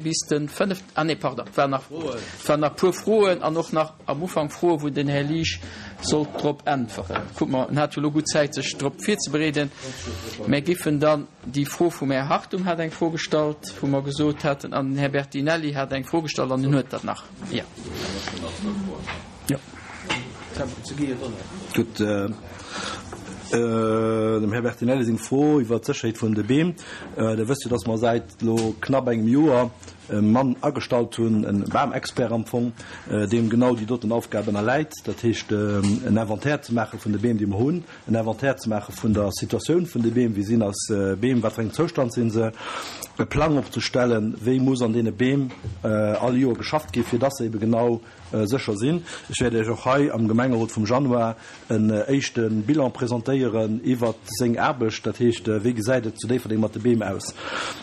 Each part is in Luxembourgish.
Bis den 5, ah nee, pardon, et waren nach, et waren nach e puer Froen an och nach am Ufank Froen, wou den Här Liesch sollt drop äntweren. Kucke mer, en hat jo elo gutt Zäit, sech drop virzebereeden. Mär giffen dann déi Fro vum Här Hartung hat eng Fro gestallt, wou mer gesot haten, an den Här Bertinelli hat eng Fro gestallt an en huet der nach. Jo. Jo. Gutt. Dem Här Bertinelli seng Fro iwwert d'Sécherheet vun de Beem. Der wësst jo, dass mer säit elo knapp engem Joer e Mann agestallt hunn, e Bamexpert am Fong, deem genau déi doten Aufgab ënnerläit, dat heescht en Inventaire ze maache vun de Beem, déi mer hunn, en Inventaire ze maache vun der Situatioun vun de Beem, wéi sinn eis Beem, wat fir engem Zoustand si se, e Plang opzestellen, wéi muss an deene Beem all Joer geschafft ginn, fir dass se ebe genau sécher sinn. Ech wäert Iech och hei am Gemengerot vum Januar en éischte Bilan presentéieren iwwert seng Aarbecht, dat heescht, wéi gesäit et zu Déifferdeng mat de Beem aus.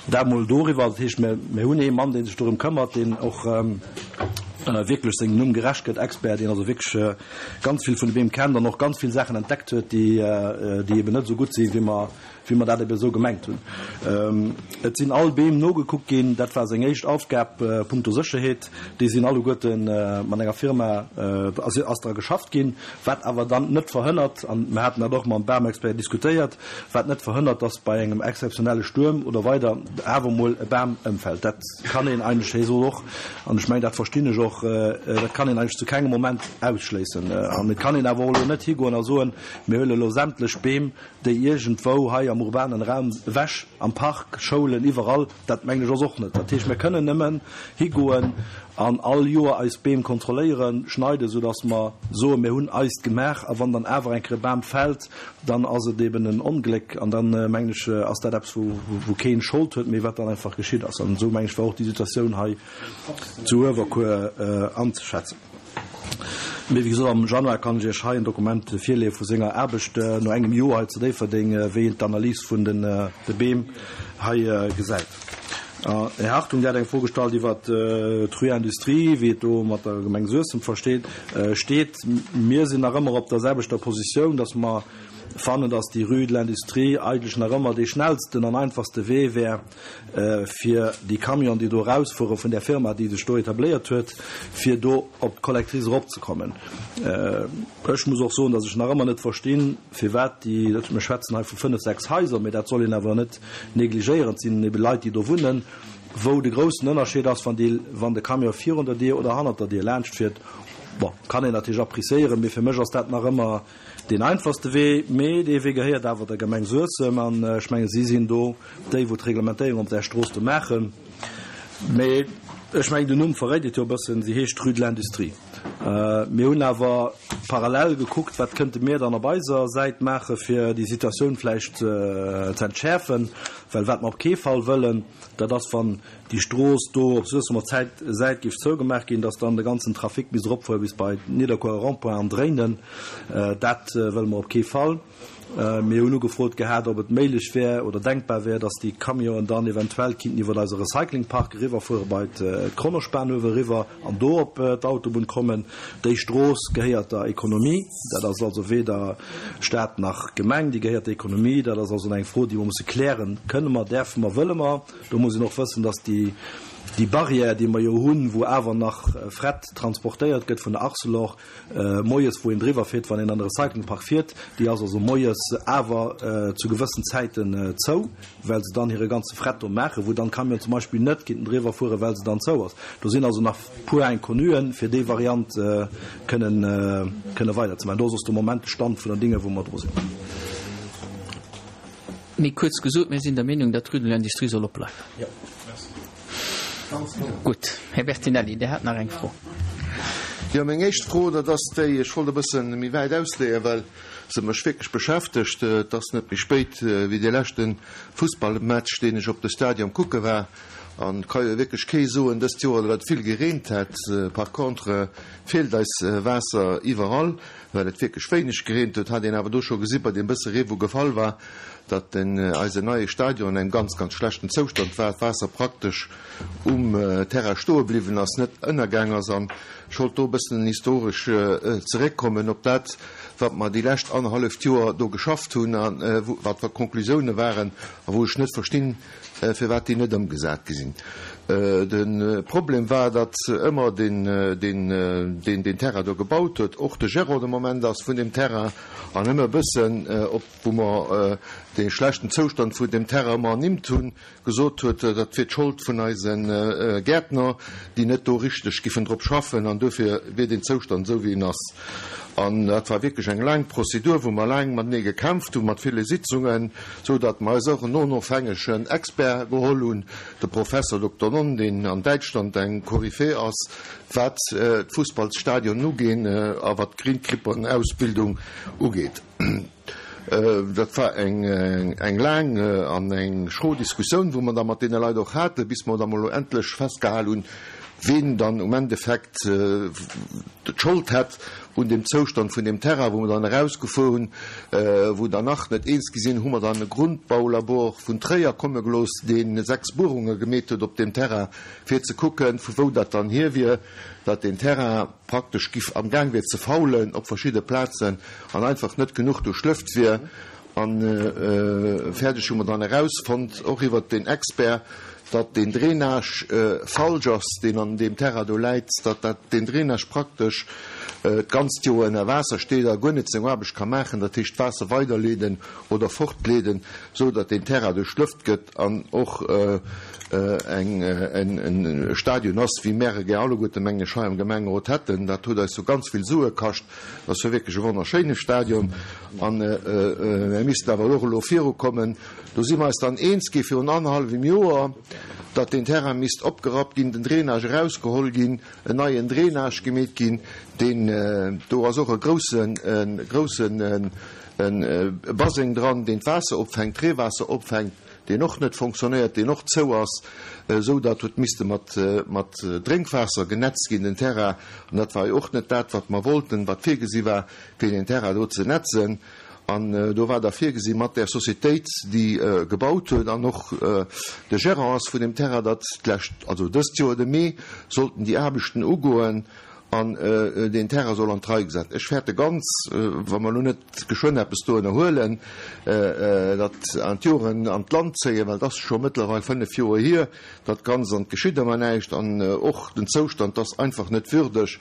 Dat emol doriwwer. Dat heescht, mir hunn ee Mann, dee sech dorëm këmmert, deen och wierklech sengem Numm gerecht gëtt, Expert, deen also wierklech ganz vill vun de Beem kennt an och ganz vill Saachen entdeckt huet, déi eben net esou gutt sinn, wéi mer wéi mer dat ebe esou gemengt hunn. Et sinn all Beem nogekuckt ginn, dat war seng éischt Aufgab punkto Sécherheet. Déi sinn alleguerte mat enger Firma, ass dra geschafft ginn, wat awer dann net verhënnert, an mir haten dat och mam Bamexpert diskutéiert, wat net verhënnert, dass bei engem exzeptionelle Stuerm oder weider awer emol e Bam ëmfält. Dat kann een eigentlech, hie sot och, an ech mengen dat verstinn ech och, dat kann een eigentlech zu kengem Moment ausschléissen. An et kann een awer och elo net higoen a soen, mir huele elo sämtlech Beem, déi iergendwou hei am urbanen Raum ewech, am Park, Schoulen, iwwerall, dat mengen ech ass och net. Dat heescht, mir kënnen nëmmen higoen an all Joer eis Beem kontrolléieren, schneiden, soudass mer soen, mir hunn eist gemaach. A wann dann awer eng Kéier e Bam fält, dann ass et eben en Ongléck an dann, mengen ech, ass dat eppes, wou keen Schold huet, mee wat dann einfach geschitt ass. An esou, mengen ech, war och déi Situatioun hei zu Uewerkuer anzeschätzen. Mee wéi gesot, am Januar kann ech Iech hei en Dokument virleeë vu senger Aarbecht no engem Joer hei zu Déifferdeng, wéi een d'Analys vun de Beem hei gesäit. Här Hartung, Dir hat eng Fro gestallt iwwer d'Rue Industrie, wéi et do mat der Gemeng Suessem versteet, steet. Mir sinn nach ëmmer op der selwechter Positioun, dass mer fannen, dass déi Rue de l'Industrie eigentlech nach ëmmer dee schnellsten an einfachste Wee wär, fir déi Camionen, déi do erausfuere vun där Firma, déi sech do etabléiert huet, fir do op d'Collectrice eropzekommen. Ech muss och soen, datt ech nach ëmmer net verstinn, firwat déi, mir schwätzen hei vu fënnef, sechs Haiser, mee dat soll een awer net negligéieren, et sinn ebe Leit, déi do wunnen, wou de groussen Ënnerscheed ass, wann déi, wann de Camion virun der Dier oder hannert der Dier laanschtfiert. Bon, kann een natierlech appréciéieren, mee fir mech ass dat nach ëmmer Deen einfachste Wee, mee dee Wee gehéiert awer der Gemeng Suessem an ech menge si sinn do déi wou d'Reglementéierung op där Strooss do maachen. Mee ech mengen den Numm verréit et jo e bëssen, si heescht Rue de l'Industrie. Mir hunn awer parallel gekuckt, wat kënnte mir dann op eiser Säit maache fir déi Situatioun vläicht ze entschäerfen, well wat mer op kee Fall wëllen, dat ass wann déi Strooss do op Suessemer Säit géif zougemaach ginn, dass dann de ganzen Trafic misst eropfuere bis bei Nidderkuerer Rond-point an dréinen. Dat wëlle mer op kee Fall. Mir hunn ugefrot gehat, ob et méiglech wär oder denkbar wär, dass déi Camionen dann eventuell kinnten iwwert eise Recyclingpark eriwwerfuere bei d'Kronospan uewe eriwwer an do op d'Autobunn kommen. Déi Strooss gehéiert der Economie. Dat ass also weder Stat nach Gemeng, déi gehéiert der Economie. Dat ass also eng Fro, déi mer musse klären. Kënne mer, däerfe mer, wëlle mer? Do muss een och wëssen, dass déi, déi Barrière, déi mer jo hunn, wou awer nach Fret transportéiert gëtt vun der Arcelor moies, wou een driwwer fiert, wann een an de Recyclingpark fiert, déi ass also moies awer zu gewëssen Zäiten zou, well se dann hire ganze Fret do maachen, wou dann d'Camionen zum Beispill net kinnten driwwer fueren, well se dann zou ass. Do sinn also nach puer Inconnuen, fir déi Variant kënnen, kënne weiderzemaachen. Do ass also de Moment de Stand vun den Dinge, wou mer dru sinn. Méi kuerz gesot, mir sinn der Meenung, datt d'Rue de l'Industrie soll opbleiwen. Gutt. Här Bertinelli, Dir hat nach eng Fro. Jo, meng éischt Fro, dat ass déi, ech wollt e bësse méi wäit ausleeën, well se mech wierklech beschäftegt. Et ass net méi spéit wéi dee leschte Fussballmatch, deen ech op de Stadion kucke war. An et ka jo wierklech kee soen dëst Joer, datt et vill gereent hätt. Par contre feelt eis Waasser iwwerall. Well et wierklech wéineg gereent huet, hat een awer do scho gesi bei deem bësse Ree wou gefall war, datt den eisen neie Stadion an engem ganz, ganz schlechten Zoustand war, d'Waasser praktesch um Terrain stoe bliwwen ass, net ënnergaang ass. An ech wollt do e bëssen historesch zeréckkommen op dat, wat mer déi lescht annerhalleft Joer do geschafft hunn a wat d'Konklusioune waren a wou ech net verstinn, firwat déi net ëmgesat gi sinn. De Problem war, datt ëmmer deen, deen deen Terrain do gebaut huet, och de Gérant de Moment ass vun deem Terrain an ëmmer e bëssen, op wou mer dee schlechten Zoustand vun deem Terrain ëmmer ernimmt hunn, gesot huet, dat wier d'Schold vun eise Gäertner, déi net do richteg giffen drop schaffen an duerfir wier deen Zoustand esou wéi en ass. An dat war wierklech eng laang Prozedur, wou mer laang matenee gekämpft hunn, mat ville Sitzungen, esou datt mer eis och en onofhängegen Expert geholl hunn, De Professor Dokter Nonn, deen an Däitschland eng Koryphäe ass, wat d'Fussballsstadionen ugeen a wat d'Greenkeeper-Ausbildung ugeet. Dat war eng laang an eng schro Diskussioun, wou mer da mat deene Leit och haten, bis mer da mol endlech festgehal hunn, ween dann um Endeffekt d'Schold hätt un deem Zoustand vun deem Terrain, wou mer dann erausgefuer hunn, wou der nach net eens gi sinn, hu mer dann e Grundbaulabor vun Tréier komme gelooss, dee 6 Buerunge gemeet huet op deem Terrain, fir ze kucken, vu wou dat dann hier wier, datt deen Terrain praktesch giff amgaang wier ze faulen op verschidde Plazen an einfach net genuch duerchlëft wier. A fäerdeg hu mer dann erausfonnt, och iwwert deen Expert, datt deen Drainage falsch ass, deen an deem Terrain do läit, datt dat deen Drainage praktesch d'ganzt Joer ënner Waasser steet a guer net seng Aarbecht ka maachen, dat heescht d'Waasser weiderleeden oder fortleeden, esou datt deen Terrain duerchlëft gëtt an och eng e Stadion ass, wéi mär e gär alleguerte, mengen ech, hei am Gemengerot hätten. Dat huet eis jo ganz vill Sue kascht. Dat ass jo wierklech e wonnerschéine Stadion an mär missten awer och elo virukommen. Do si mer eis dann eens gi virun annerhallwem Joer, datt deen Terrain misst opgerappt ginn, den Drainage erausgeholl ginn, en neien Drainage gemeet ginn. Deen, do ass och e groussen, e groussen Baseng dran, deen d'Waasser opfänkt, d'Reewaasser opfänkt, deen och net fonctionnéiert, deen och zou ass, esou datt huet misste mat, mat Drénkwaasser genetzt ginn, den Terrain. An dat war jo och net dat, wat mer wollten, wat virgesi war, fir deen Terrain do ze netzen. An do war da virgesi mat där Sociétéit, déi gebaut huet an och de Gérant ass vun deem Terrain, datt d'lescht, also dëst Joer de Mee, sollten déi Aarbechten ugoen an deen Terrain soll an d'Rei gesat. Ech fäerte ganz, wa mer elo net geschwënn eppes do ënnerhuelen, datt an d'Joren an d'Land zéien, well et ass scho mëttlerweil 5 Joer hier, Dat Ganzt, an et geschitt ëmmer näischt, an och den Zoustand ass einfach net würdeg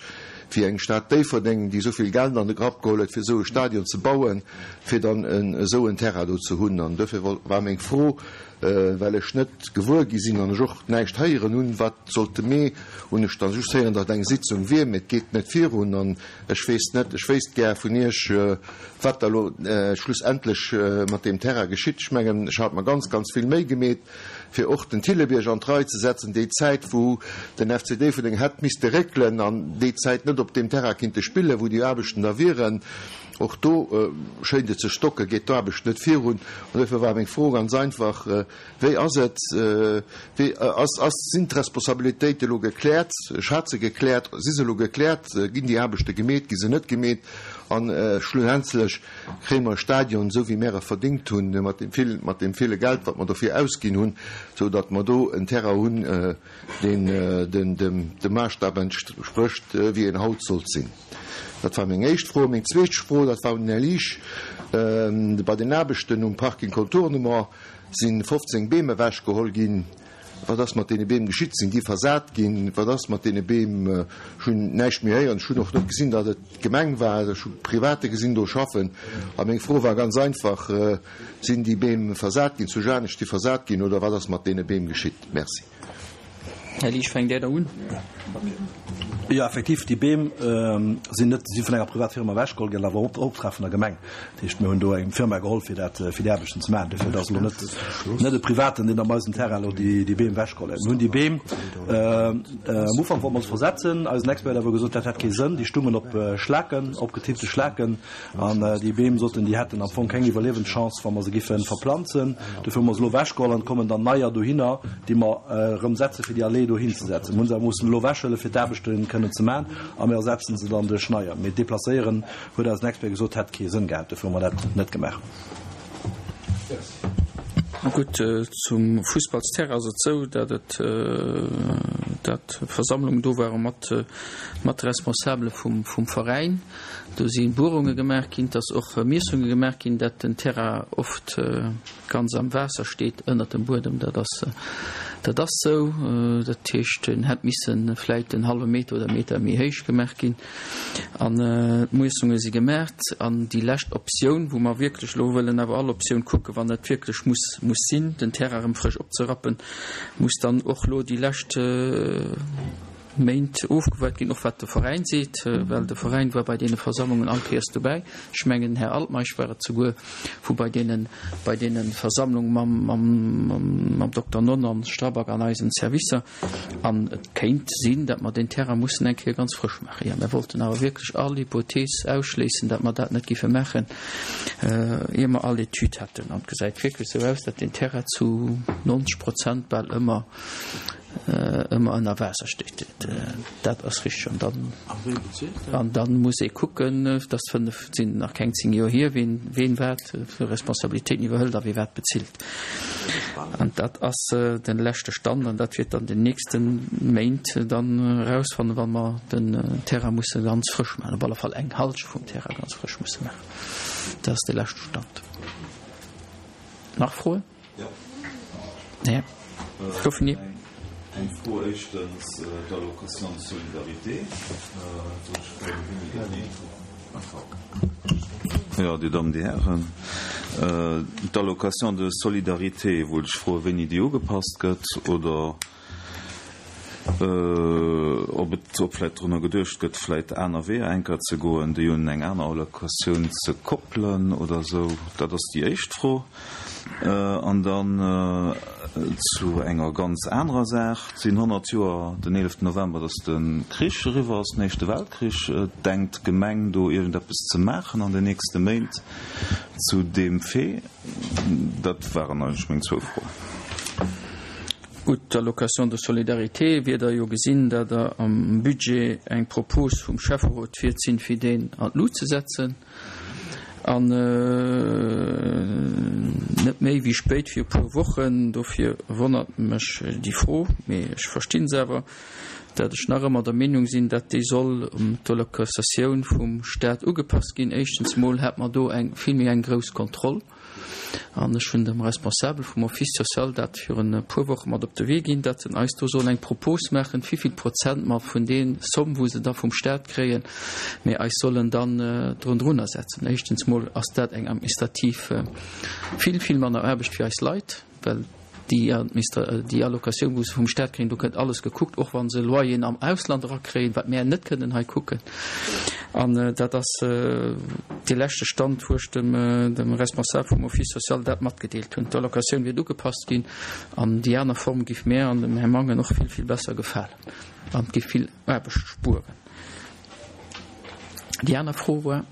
fir eng Stad Déifferdeng, déi esou vill Geld an de Grapp geholl huet, fir esou e Stadion ze bauen, fir dann esou en Terrain do ze hunn. An duerfir war meng Fro, well ech net gewuer gi sinn an ech och näischt héieren hunn, wat sollt de Mee, hunn ech da just héieren, datt eng Sitzung wier, mee et geet net virun an ech weess net, ech wéisst gär vun Iech, wat da elo schlussendlech mat deem Terrain geschitt. Ech mengen, ech hat mer ganz, ganz vill Méi gemeet, fir och den Thillebierg an d'Rei ze setzen, déi Zäit wou den FC Déifferdeng hätt misste réckelen an déi Zäit net op deem Terrain kinnte spillen, wou déi Aarbechten da wieren. Och do schéint et ze stocken, geet d'Aarbecht net virun. An duerfir war meng Fro ganz einfach, Wéi ass et, wéi ass, ass, sinn d'Responsabilitéite elo gekläert? Ech hat se gekläert, si se elo gekläert? Ginn déi Aarbechte gemeet, gi se net gemeet? An schlussendlech, Kréie mer e Stadion, esou wéi mär e verdéngt hunn, mat deem vill, mat deem ville Geld, wat mer dofir ausginn hunn, esou datt mer do en Terrain hunn, deen den, dem, dem Maßstab entsprécht, wéi en haut sollt sinn? Dat war meng éischt Fro. Meng zweet Fro, dat war un den Här Liesch. Bei den Aarbechten um Parking Contournement si 15 Beem ewechgeholl ginn. Wat ass mat deene Beem geschitt? Sinn déi versat ginn? Wat ass mat deene Beem? Ech hunn näischt méi héieren. Ech hunn och net gesinn, datt et d'Gemeng war. Ech hu Private gesinn do schaffen. A meng Fro war ganz einfach, Sinn déi Beem versat ginn, zu Janescht si versat ginn, oder wat ass mat deene Beem geschitt? Merci. Här Liesch, fänkt Där da un? Jo, effektiv, déi Beem sinn net, si vun enger Privatfirma ewechgeholl ginn, awer op Optrag vun der Gemeng. Dat heescht, mir hunn do eng Firma geholl, fir dat, fir déi Aarbechten ze maachen. Dofir, et ass elo net, net e Privaten, deen op eisem Terrain elo déi, déi Beem ewechgeholl huet. Mir hunn déi Beem, am Ufank wollte mer se versetzen. Eisen Expert huet awer gesot, dat hätt kee Sënn. Déi stungen op Schlaken, opgetippte Schlaken. An déi Beem soten, déi hätten am Fong keng Iwwerliewenschance, wa mer se giffe verplanzen. Dofir hu mer se elo ewechgeholl an et kommen dann neier dohinner, déi mer erëm setze fir déi Allee dohin ze setzen. Mir hu se awer mussen elo ewechhuelen, fir d'Aarbechte kënnen ze maachen a mir ersetzen se dann duerch neier. Mee deplacéieren, huet eisen Expert gesot, hätt kee Sënn gehat. Dofir hu mer dat net gemaach. Gutt, zum Fussballsterrain ass et esou, datt et, datt Versammlungen do ware mat, mat de Responsabele vum, vum Veräin. Do si Buerunge gemaach ginn, et ass och Miessunge gemaach ginn, datt den Terrain oft ganz am Waasser steet ënnert dem Buedem. Dat ass. Dat ass sou. Dat heescht, en hätt misse vläit en hallwe Meter oder Meter méi héich gemaach ginn. An d'Muessunge si gemaach. An déi lescht Optioun, wou mer wierklech elo wëllen awer all Optioun kucken, wann et wierklech muss muss sinn, den Terrain erëm frësch opzerappen, muss dann och elo déi lescht Méint ofgewaart ginn, och wat de Veräin seet, well de Veräin war bei deene Versammlungen all Kéiers dobäi. Ech mengen, den Här Altmeisch war et souguer, wou bei deene, bei deene Versammlung mam, mam, mam Dokter Nonn an Strabag an eisen Servicer. An et kéint sinn, datt mer deen Terrain mussen eng Kéier ganz frësch maachen. Jo, mir wollten awer wierklech all Hypothees ausschléissen, datt mer dat net géife maachen, ier mer all Etüd hätten. An et gesäit wierklech esou aus, datt deen Terrain zu 90 Prozent bal ëmmer, ëmmer ënner Waasser steet. Dat ass richteg. An dann, an dann muss ee kucken, dat ass fënnef, sinn nach keng zéng Joer hier, ween, ween wat fir Responsabilitéiten iwwerhëlt a wee wat bezilt. An dat ass de leschte Stand an dat wäert dann den nächste Méint dann erausfannen, wa mer den Terrain musse ganz frësch maachen, op alle Fall eng Halschent vum Terrain ganz frësch musse maachen. Dat ass de leschte Stand. Nach Froen? Jo. Goufen déi? Eng Fro, éischtens d'Allocation de solidarité, wou ech froen, wéini dat geet. Jo, Dir Dammen, Dir Hären, d'Allocation de solidarité wollt ech froen, wéini déi ugepasst gëtt oder ob et, ob vläicht drunner geduecht gëtt, vläicht aner Weeër enker ze goen, déi un eng aner Allocatioun ze koppelen oder esou. Dat ass déi éischt Fro. An dann zu enger ganz anerer Saach. Et sinn 100 Joer den 11 November, datt de Krich eriwwer ass, den Éischte Weltkrich. Denkt d'Gemeng do iergendeppes ze maachen an den nächste Méint zu deem Fait? Dat waren eigentlech meng zwou Froen. Gutt, d'Allocation de solidarité wier Der jo gesinn, datt Der am Budget eng Propos vum Schäfferot wiert sinn, fir deen an d'Lut ze setzen. An net méi wéi spéit wéi e puer Wochen. Dofir wonnert mech déi Fro, mee ech verstinn se awer, datt ech nach ëmmer der Meenung sinn, datt déi soll un d'Allocatioun vum Stat ugepasst ginn. Éischtens mol hätt mer do eng vill méi eng grouss Kontroll. An ech hunn dem Responsabel vum Office social dat virun e puer Woche mat op de Wee ginn, datt en eis do soll eng Propos maachen, wivill Prozent mer vun dee Somm, wou se da vum Stat kréien, mir eis sollen dann drun drunner setzen. Éischtens mol ass dat eng administrativ vill, vill manner Aarbecht fir eis Leit, well déi Administra-, déi Allocatioun, wou se vum Stat kréien, do gëtt alles gekuckt, och wa se Loyeren am Ausland erakréien, wat mär net kënnen hei kucken. An dat ass dee leschte Stand, wou ech dem, dem Responsable vum Office social dat matgedeelt hunn. D'Allocatioun wiert ugepasst ginn an déi aner Form giff mär an dem Här Mangen och vill, vill besser gefalen an giff vill Aarbecht spueren. Déi aner Fro war?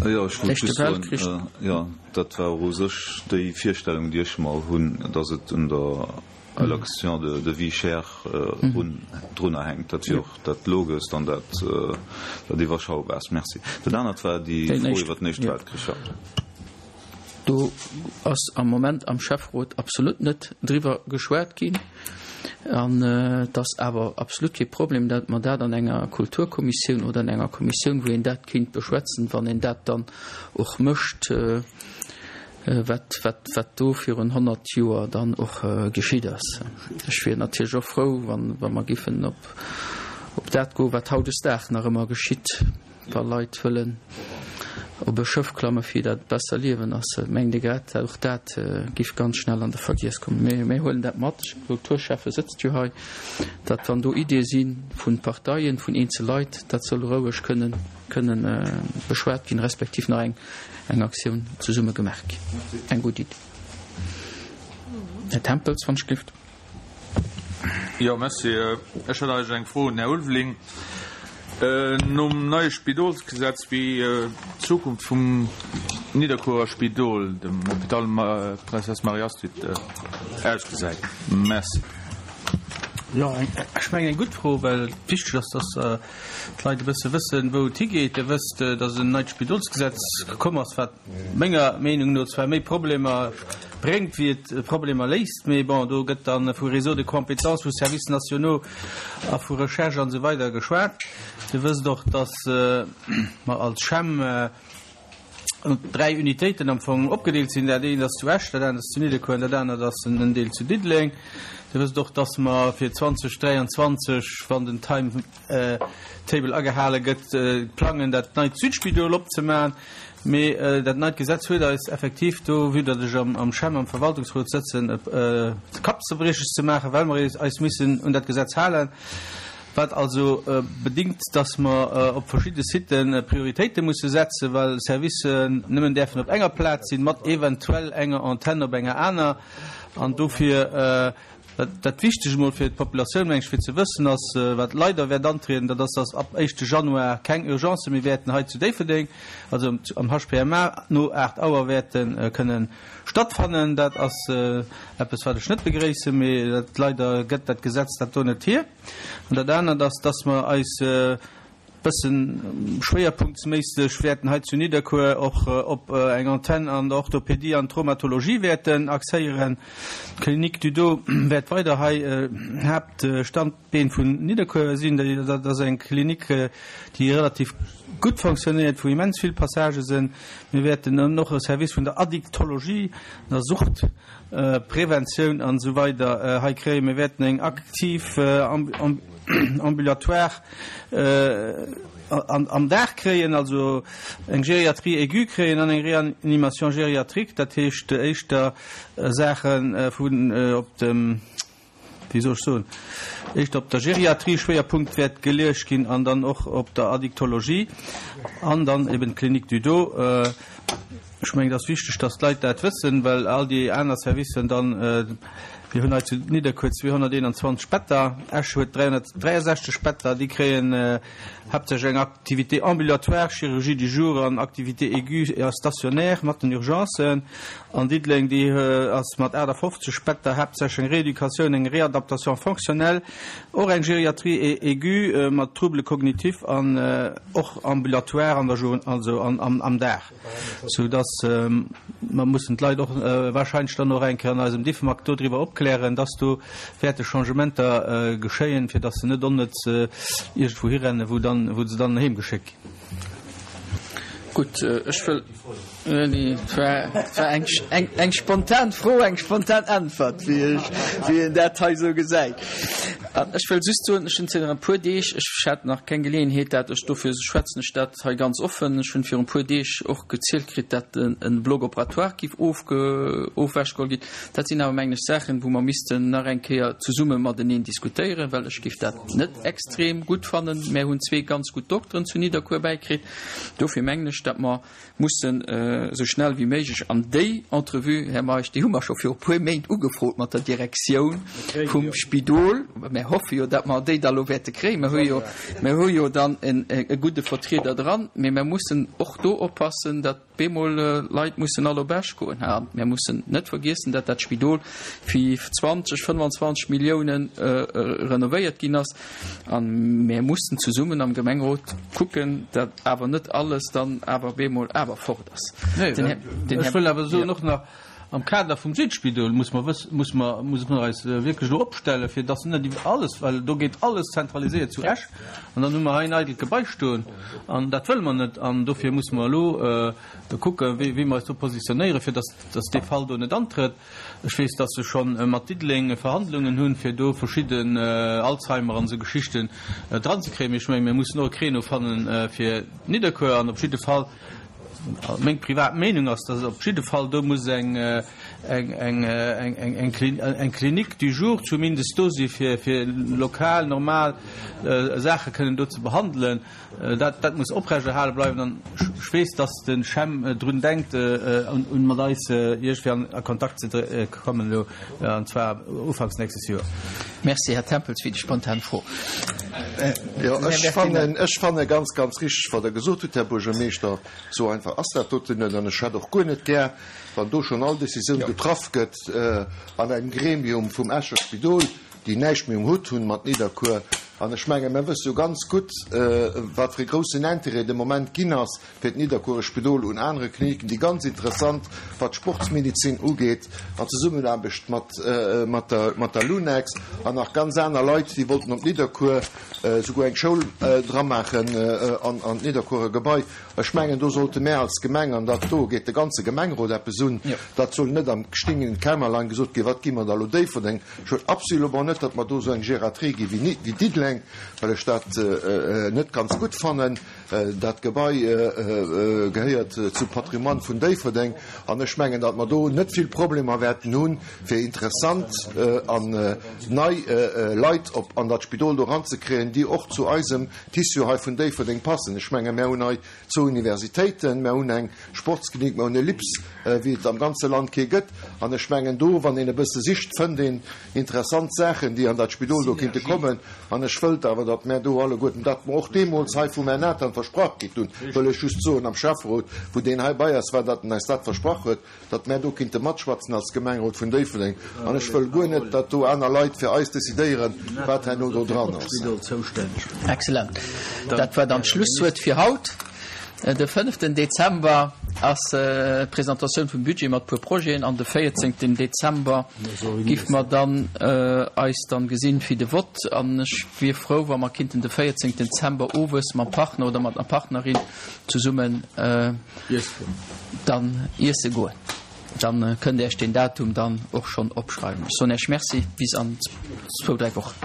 Jo, ech wollt just soen, jo, dat war och u sech déi Virstellung, déi ech mer hunn, datt et un der Allocation de vie chère drunner hänkt. Dat wier och dat Logest an dat Iwwerschaubaarst. Merci. Dat anert war déi Fro iwwer den Éischte Weltkrich, jo. Do ass am Moment am Schäfferot absolut net driwwer geschwat ginn. An et ass awer absolut kee Problem, datt mer dat an enger Kulturkommissioun oder an enger Kommissioun, wou een dat kéint beschwätzen, wann een dat dann och mécht, wat, wat, wat do virun 100 Joer dann och geschitt ass. Ech wier natierlech och frou, wann, wa mer giffen op, op dat goen, wat hautdesdaags nach ëmmer geschitt. Wa Leit wëllen op e Schëff klamme fir dat besser Liewen ass, mengt ee grad, och dat giff ganz schnell an de Vergiess kommen. Mee mir huelen dat mat, de Kulturschäffe sëtzt jo hei, datt wann do Iddie si vu Parteien, vun eenzel Leit, dat soll roueg kënnen kënnen beschwat ginn, respektiv nach eng eng Aktioun zesumme gemaach ginn. Eng gutt Iddi. Här Tempels, wann ech gelift. Jo, merci. Ech hätt eigentlech eng Fro un den Här Ulveling. Nom neie Spidolsgesetz, wéi d'Zukunft vum Nidderkuerer Spidol, dem Hôpital Princesse Marie-Astrid, ausgesäit. Merci. Jo, ech mengen eng gutt Fro, well et wichteg ass, dass d'Leit e bësse wëssen, wou et higeet. Dir wësst, dass en neit Spidolsgesetz gekomm ass, wat menger Meenung no zwar méi Problemer bréngt, wéi et Problemer léist, mee bon, do gëtt da vu Réseau de compétences, vu Services nationaux a vu Recherche an esou weider geschwat. Dir wësst och, dass mer als CHEM. 3 Unitéiten am Fong opgedeelt sinn. Dat eent ass zu Esch, dat anert ass zu Nidderkuer an dat anert ass en Deel zu Diddeleng. Dir wësst och, dass mer fir 2023, wann den Timetable agehale gëtt, plangen, dat neit Südspidol opzemaachen. Mee dat neit Gesetz huet eis effektiv do, vue datt ech am CHEM am Verwaltungsrot sëtzen, Kappzerbrieches ze maachen, well mer eis missen un dat Gesetz halen. Wat also bedingt, dass mer op verschidde Sitë Prioritéite musse setzen, well Servicen nëmmen däerfen op enger Plaz sinn, mat eventuell enger Antenn op enger aner. An dofir, dat Wichtegt emol fir d'Populatioun, meng ech, fir ze wëssen ass, wat leider wäert antrieden, dat ass, dass ab éischte Januar keng Urgencë méi wäerten hei zu Déifferdeng, also am HPMA, no 8 Auer wäerte kënnen stattfannen. Dat ass eppes, wat ech net begréissen, mee dat leider gëtt dat Gesetz dat do net hier. An dat anert ass, dass mer eis e bësse schwéierpunktsméisseg wäerten hei zu Nidderkuer och op eng Antenn an der Orthopédie an Traumatologie wäerten axéieren. D'Clinique du Dos wäert weider hei Haaptstandbeen vun Nidderkuer sinn. Dat ass eng Klinik, déi relativ gutt fonctionnéiert, wou immens vill Passagë sinn. Mir wäerten och e Service vun der Addictologie, der Sucht, Preventioun an esou weider hei kréien. Mir wäerten eng aktiv Ambulatoire am Dag kréien, also eng Gériatrie aiguë kréien an eng Réanimation gériatrique, dat heescht éischter Saache vun op dem, wéi soll ech soen, éischter op der Geriatrie Schwéierpunkt wäert geluecht ginn an dann och op der Addictologie an dann eben d'Clinique du Dos. Ech mengen, et ass wichteg, dass d'Leit dat wëssen, well all déi aner Servicen dann, mir hunn hei zu Nidderkuer 221 Better, Esch huet 363 Better, déi kréien haaptsächlech eng Activité ambulatoire, Chirurgie du jour an Activité aiguë a stationnaire mat den Urgencen. An Diddeleng, déi ass mat 58 Better haaptsächlech eng Rééducatioun, eng Réadaptation fonctionnelle, och eng Gériatrie aiguë mat Troubles cognitifs an och ambulatoire an der Jour, also am Dag, sou dass mer mussen d'Leit och wahrscheinlech dann och eng Kéier an eisem Diffmag dodriwwer opklären, dass do wäerte Changementer geschéien, fir dass se net onnëtz iergendwou hirennen, wou dann, wou se dann heemgeschéckt ginn. Gutt, ech wëll, et war eng spontan Fro, eng spontan Äntwert, wéi ech, wéi een dat hei esou gesäit. An ech wëll just soen, ech hunn zënter e puer Deeg, ech hat nach keng Geleeënheet dat, ech dofir schwätzen ech dat hei ganz offen, ech hunn virun e puer Deeg och gezielt kritt, dat e Bloc opératoire géif ofge, ofwechgeholl ginn. Dat sinn awer, mengen ech, Saachen, wou mer missten nach eng Kéier zesumme mateneen diskutéieren, well ech géif dat net extrem gutt fannen. Mär hunn zwee ganz gutt Dokteren zu Nidderkuer bäikritt. Dofir mengen ech, datt mer mussen esou schnell wéi méiglech an déi Entrevue, Här Meisch, déi hu mer scho viru puer Méint ugefrot mat der Direktioun vum Spidol. Mär hoffe jo, datt mer déi da lo wäerte kréien. Mer hu jo, mer hu jo dann e gudde Vertrieder dran. Mee mer mussen och do oppassen, datt Bemol Leit mussen all op Esch goen. A mir mussen net vergiessen, datt dat Spidol fir 20, 25 Milliounen renovéiert ginn ass. A mir mussen zesummen am Gemengerot kucken, datt awer net alles dann awer bemol awer fort ass. Ech wëll awer soen och nach, Am Kader vum Südspidol muss mer wëssen, muss mer, muss mer eis wierklech elo opstellen, fir dass net iwwer alles, well do gétt alles zentraliséiert zu Esch an dann hu mer hei en eidelt Gebai stoen an dat wëlle mer net an dofir muss mer elo kucken, wéi, wéi mer eis do positionéieren, fir dass, dass dee Fall do net antrëtt. Ech weess, dass se scho mat Diddeleng Verhandlungen hunn, fir do verschidden Alzheimer an esou Geschichten dranzekréien. Mee ech mengen, mir mussen och e Créneau fannen fir Nidderkuer an op jidde Fall, Meng privat Meenung ass, dass op jidde Fall do muss eng eng Clinique du jour zumindest do si fir fir lokal normal Saache kënnen do ze behandelen. Dat dat muss oprechterhale bleiwen an ech weess, dass de CHEM drun denkt un mat eis iergendwéi an a Kontakt ze kommen elo an zwar ufanks nächstes Joer. Merci, Här Tempels, fir déi spontan Fro. Jo, ech fannen, ech fanne ganz, ganz richteg, wat Der gesot hutt, Här Buergermeeschter. Esou einfach ass dat doten net. An ech hätt och guer net gär, wann do schonn all Décisioun getraff gëtt an engem Gremium vum Escher Spidol, déi näischt méi um Hutt hunn mat Nidderkuer. An ech menge mir wësse jo ganz gutt, wat fir e groussen Intérêt de Moment ginn ass fir d'Nidderkuerer Spidol un anere Kliniken, déi ganz interessant, wat d'Sportsmedizin ugeet, an Zesummenaarbecht mat mat der mat der Lunex an nach ganz aner Leit, déi wollten op Nidderkuer souguer eng Schoul dramaachen an an d'Nidderkuerer Gebai. Ech mengen, do sollte mär als Gemeng, an dat do geet de ganze Gemengerot eppes un, dat soll net am stingenden Kämmerlein gesot ginn, wat gi mer da elo Déifferdeng, Ech wëll absolument net, datt mer do esou eng Geriatrie gi wéi Diddeleng, well ech dat net ganz gutt fannen. Dat Gebai gehéiert zum Patrimoine vun Déifferdeng an ech mengen, datt mer do net vill Problemer wäerten hunn, fir interessant an nei Leit op an dat Spidol do eranzekréien, déi och zu eisem Tissu hei vun Déifferdeng passen. Ech menge mär hunn hei zwou Universitéiten, mär hunn eng Sportsklinik, mer hunn e LIPS, wéi et am ganze Land kee gëtt. An ech mengen do, wann een e bësse sicht, fënnt een interessant Saachen, déi an dat Spidol do kinnte kommen. An ech wëllt awer, datt mär do alleguerten, dat mer och deemools hei vum Här Nathan versprach kritt hunn, wëll ech just soen am Schäfferot, wou deen hei bei eis war, datt en eis dat versprach huet, datt mär do kinnte matschwätzen als Gemengerot vun Déifferdeng. An ech wëll guer net, datt do aner Leit fir eis decidéieren, wat herno do dran ass. Excellent. Dat war dann d'Schlusswuert fir haut. De fënneften Dezember ass d'Presentatioun vum Budget mat puer Projeten an de véierzéngten Dezember giff mer dann eis dann gesinn fir de Vott an ech wier frou wa mer kinnten de véierzéngten Dezember owes mam Partner oder mat der Partnerin zesummen dann iesse goen. Dann kënnt Äech deen Datum dann och schonn opschreiwen. Ech soen Äech Merci, bis an zwou, dräi Wochen.